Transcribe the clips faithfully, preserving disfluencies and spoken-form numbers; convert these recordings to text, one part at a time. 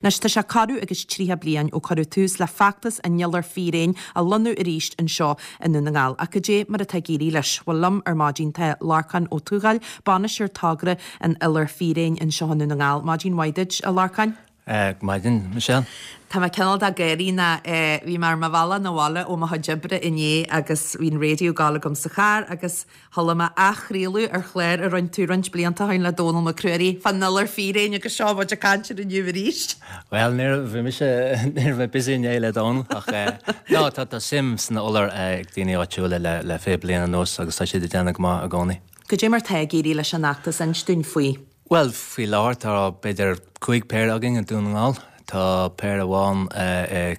Anois tá sé corradh agus tríocha bliain ó cuireadh tús le feachtas an Iolar Fíréin a lonnú arís anseo i nDún na nGall. Ach goidé mar atá ag éirí leis? Bhuel liom ar maidin tá Lorcán Ó Tuathail, bainisteoir togra an Iolair Fíréin anseo i nDún na nGall. Maidin mhaith duit, a Lorcáin. Maidin, Michelle. Tá mé cineál ag gáirí ná bhí mé ar mo bhealach 'na bhaile ó mo chuid oibre inné agus bhí an raidió ag gabháil agam sa charr agus chuala mé athchraoladh ar chlár a rinne tú roinnt blianta ó shin le Dónal Mac Ruairí fán iolar fíréin agus seo muid ag caint air inniu arís. Bhuel, ní bhí mise ní raibh mé busy inné le Dónal ach no tá tá suim san iolar ag daoine áitiúla le le fiche bliain anuas agus tá siad ag déanamh go maith i gcónaí. Goidé mar tá ag éirí leis an fheachtas inis dúinn faoi. Bhuel, faoi láthair tá b'fhéidir cúig péire againn i nDún na nGall. Tá péire amháin i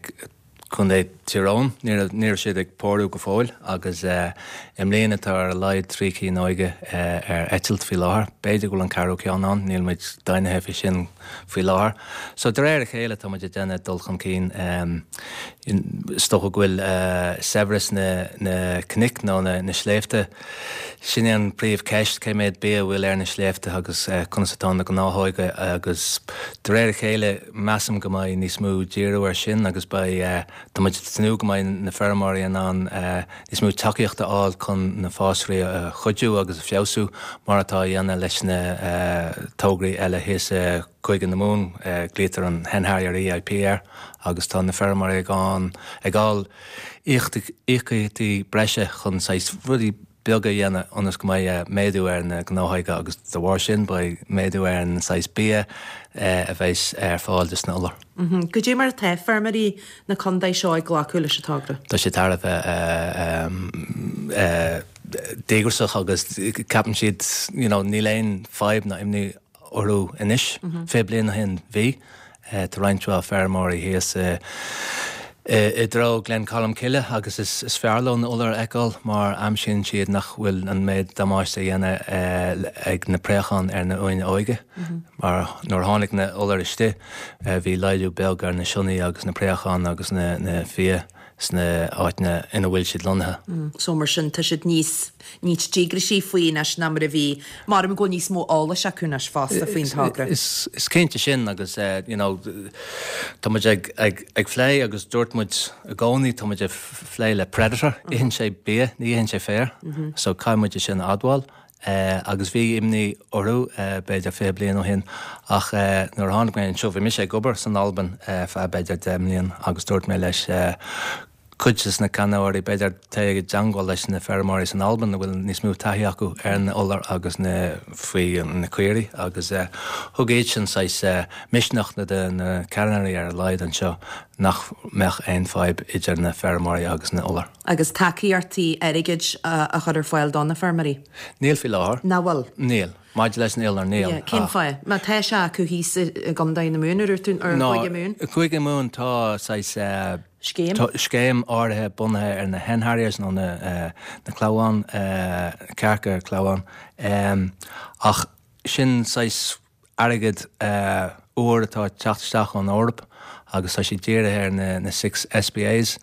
Contae Thír Eoghain, ní raibh siad ag pórú go fóill agus i mbliana tá ar a laghad trí cinn óige ar eitilt faoi láthair. B'fhéidir go bhfuil an ceathrú ceann ann, níl muid deimhnithe faoi sin faoi láthair. So de réir a chéile tá muid ag déanamh dul chun cinn. Is dócha go bhfuil saibhreas na na cnoic nó na na sléibhte, sin é an príomhcheist, cé mhéad bia a bhfuil ar na sléibhte agus conas atá na gnáthóga agus de réir a chéile measaim go mbeidh níos mó díriú ar sin agus beidh, tá muid ag tnúth go mbeidh na feirmeoirí in ann níos mó tacaíocht a fháil chun na fásraí a chuidiú agus a feabhsú mar atá á dhéanamh leis na tograí eile thíos i Cúige na Mumhan, glaoitear an Hen Harrier EIP air agus tá na feirmeoirí ag an ag fháil íocaíochtaí breise chun saghas rudaí beaga a dhéanamh ionas go mbeidh méadú ar na gnáthóga agus de bharr sin beidh méadú ar an saghas bia a bheas ar fáil dos na iolair. Goidé mar atá feirmeoirí na contae seo ag glacadh leis an togra? Tá sé thar a bheith díograiseach agus ceapann siad you know níl aon fadhb ná imní orthu anois. Fiche bliain ó shin bhí. Tá roinnt mhaith feirmeoirí thíos i dtreo Ghleann Cholm Cille agus is fearr leo na iolair a fheiceáil mar aimsíonn siad nach bhfuil an méid damáiste a dhéanamh ag na préacháin ar na uain óige. Mar nuair a tháinig na iolair istigh bhí laghdú beag ar na sionnaigh agus na préacháin agus na fia sna áiteanna ina bhfuil siad lonnaithe. So mar sin tá siad níos níos díograisí faoi anois ná mar a bhí, mar go bhfuil níos mó eolais acu anois fosta faoin togra. Is is cinnte sin agus you know tá muid ag ag ag plé agus dúirt muid i gcónaí tá muid ag plé le predator, itheann sé bia, ní itheann sé féar, so caithfidh muid é sin a admháil. Agus bhí imní orthu b'fhéidir fiche bliain ó shin ach nuair a tháinig mé anseo, bhí mise ag obair san Albain feadh b'fhéidir deich mbliain agus dúirt mé leis cuid des na ceannairí, b'fhéidir, téigh i dteangmháil leis na feirmeoirí san Albain a bhfuil níos mó taithí acu ar na iolair agus na faoi na caoirigh agus thug iad sin saghas misneach do na ceannairí ar a laghad anseo nach mbeadh aon fadhb idir na feirmeoirí agus na iolair. Agus tacaíochtaí airgid a chur ar fáil do na feirmeoirí? Níl faoi láthair. Nach bhfuil? Níl. Maidir leis an iolar, níl. Yeah. Cén fáth? Má tá sé acu thíos i gContae na Mumhan, ar tú, ar Chúige Mumhan? I gCúige Mumhan tá saghas Scéim? scéim áirithe bunaithe ar na hen harriers nó na na clamháin, cearca clamháin. Ach sin saghas airgead úr atá ag teacht isteach ón Eoraip agus tá sé dírithe ar na na six SPAs.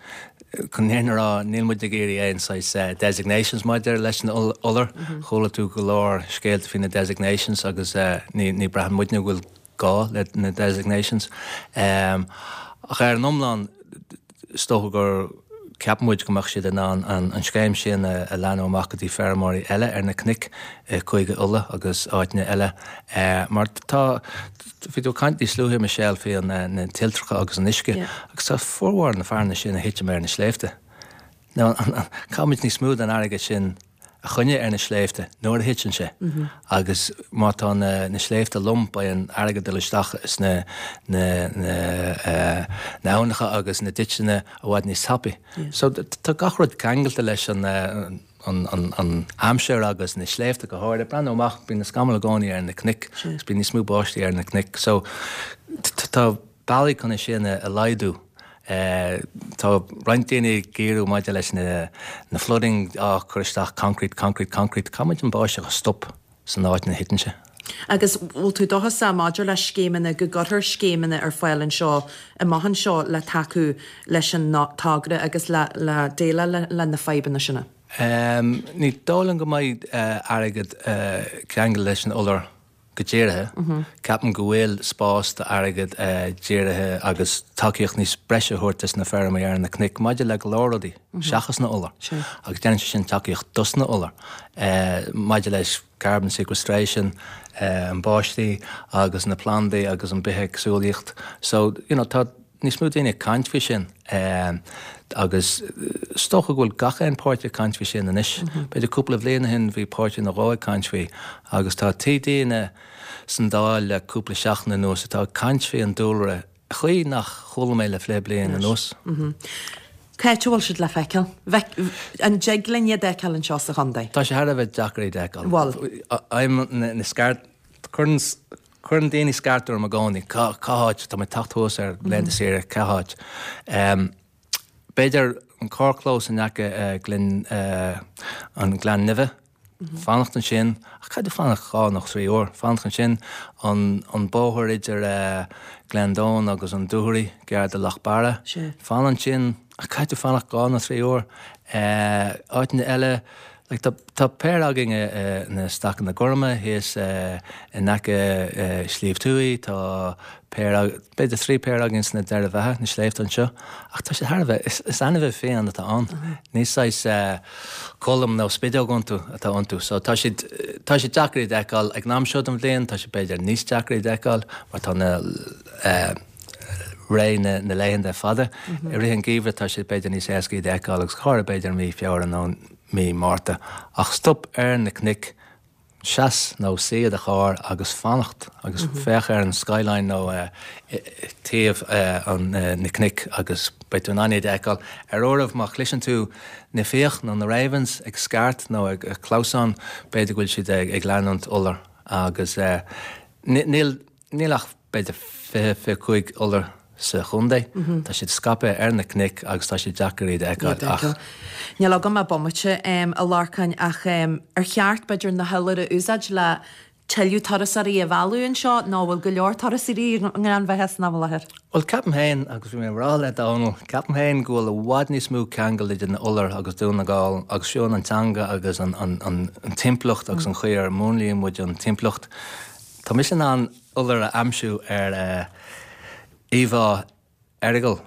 Chun an fhírinne a rá, níl muid ag iarraidh aon saghas designations maidir leis an iolar. Chuala tú go leor scéalta faoi na designations agus ní ní braitheann muidne go bhfuil gá le na designations. Ach ar an iomlán, is dócha gur ceapann muid go mbeadh siad in ann an scéim sin a leathnú amach go dtí feirmeoirí eile ar na cnoic i Cúige Uladh agus áiteanna eile mar tá, bhí tú ag caint níos luaithe, Michelle, faoi na tuiltreacha agus an uisce agus tá formhór na fearanna sin ag titim ar na sléibhte. Now, caithfimid níos mó den airgead sin a choinneáil ar na sléibhte nuair a thiteann sé agus má tá na na sléibhte lom beidh an airgead dul isteach sna na na na aibhneacha agus na ditseanna i bhfad níos tapaí. So tá gach rud ceangailte leis an an an an aimsir agus na sléibhte go háirithe. Breathnú amach, bíonn na scamaill i gcónaí ar na cnoic agus bíonn níos mó báistí ar na cnoic. So tá bealaí chun é sin a laghdú. Tá roinnt daoine ag iarraidh maidir leis na na flooding, á cur isteach concrete, concrete, concrete. Caithfidh muid an báisteach a stop san áit ina thiteann sé. Agus bhfuil tú dóchasach maidir le scéimeanna, go gcuirfear scéimeanna ar fáil anseo, amach anseo le tacú leis an togra agus le le déileáil le na fadhbanna sin? Ní dóigh liom go mbeidh airgead ceangailte leis an iolar. go dírithe. Ceapaim go bhfuil spás d'airgead dírithe agus tacaíocht níos breise a thabhairt dos na feirmeoirí ar na cnoic maidir le go leor rudaí seachas na iolair. Agus déanann sé sin tacaíocht dos na iolair maidir leis carbon sequestration, an báistí agus na plandaí agus an bithéagsúlaíocht. So, you know, tá níos mó daoine ag caint faoi sin agus is dócha go bhfuil gach aon páirtí ag caint faoi sin anois. B'fhéidir cúpla bhliain ó shin bhí páirtí nó dhó ag caint faoi agus tá TDanna san Dáil le cúpla seachtain anuas atá ag caint faoi an dúlra chaoi nach chuala mé le fiche bliain anuas. Cá háit a bhfuil siad le feiceáil? An dtig linn iad a fheiceáil anseo sa chontae? Tá sé thar a bheith deacair iad a fheiceáil. Bhfuil. I'm na scairt cuireann Cuireann daoine scairt orm i gcónaí, cá háit, tá mé ag teacht thuas ar laethanta saoire, cá háit? B'fhéidir an carrchlós in aice Gleann, an Gleann Nimhe, fanacht ansin, ach caithfidh tú fanacht dhá nó trí uair, fanacht ansin, an bóthar idir Gleann Domhain agus an Dúchoraidh, gar do Loch Barra, fan ansin, ach caithfidh tú fanacht dhá nó trí uair. Áiteanna eile, Like tá tá péire againn i na Stacanna Gorma thíos in aice Sliabh Tuaidh, tá péire b'fhéidir trí péire againn sna Doireadha Bheatha, na sléibhte anseo, ach tá siad thar a bheith, is is ainmhithe fiáin atá ann, ní saghas colm nó spideog iontu atá iontu, so tá siad tá siad deacair iad a fheiceáil ag an am seo den bhliain, tá siad b'fhéidir níos deacra iad a fheiceáil mar tá na ré na na laethanta fada. I rith an gheimhridh tá siad b'fhéidir níos éasca iad a fheiceáil agus go háirithe b'fhéidir i mí Feabhra nó mí Márta, ach stop ar na cnoic, seas nó suigh i do charr agus fanacht agus féach ar an skyline nó taobh an na cnoic agus beidh tú in ann iad a fheiceáil. Ar uairibh má chloiseann tú na fiach nó na ravens ag scairt nó ag clamhsán, b'fhéidir go bhfuil siad ag leanúint iolar agus níl níl ach b'fhéidir fiche, fiche cúig iolar sa chontae. Tá siad scaipthe ar na cnoic agus tá sé deacair iad a fheiceáil ach. Níl agam ach bomaite, a Lorcáin, ach ar cheart b'fhéidir na hiolair a úsáid le tuilleadh turasóirí a mhealladh anseo nó an bhfuil go leor turasóirí i nGleann Bheatha san am i láthair? Bhuel, ceapaim féin, agus bhí mé ag rá le Dónal, ceapaim féin go bhfuil i bhfad níos mó ceangal idir na iolair agus Dún na nGall agus fiú an teanga agus an timpeallacht agus an chaoi ar múnlaíonn muid an timpeallacht. Tá mise in ann iolar a aimsiú ar íomhá Errigal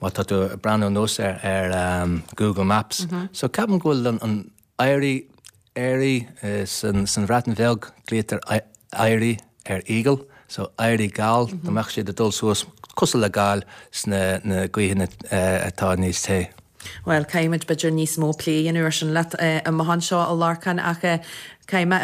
má tá tú ag breathnú anuas air ar Google Maps. So ceapaim go bhfuil an éirí, éirí san Bhreatain Bheag, glaoitear éirí ar eagle, so éirí gal, dá mbeadh siad ag dul suas cosúil le gal sna na gaoithe atá níos te. Bhuel, caithfimid b'fhéidir níos mó plé a dhéanamh ar sin leat amach anseo, a Lorcáin, ach caithfidh mé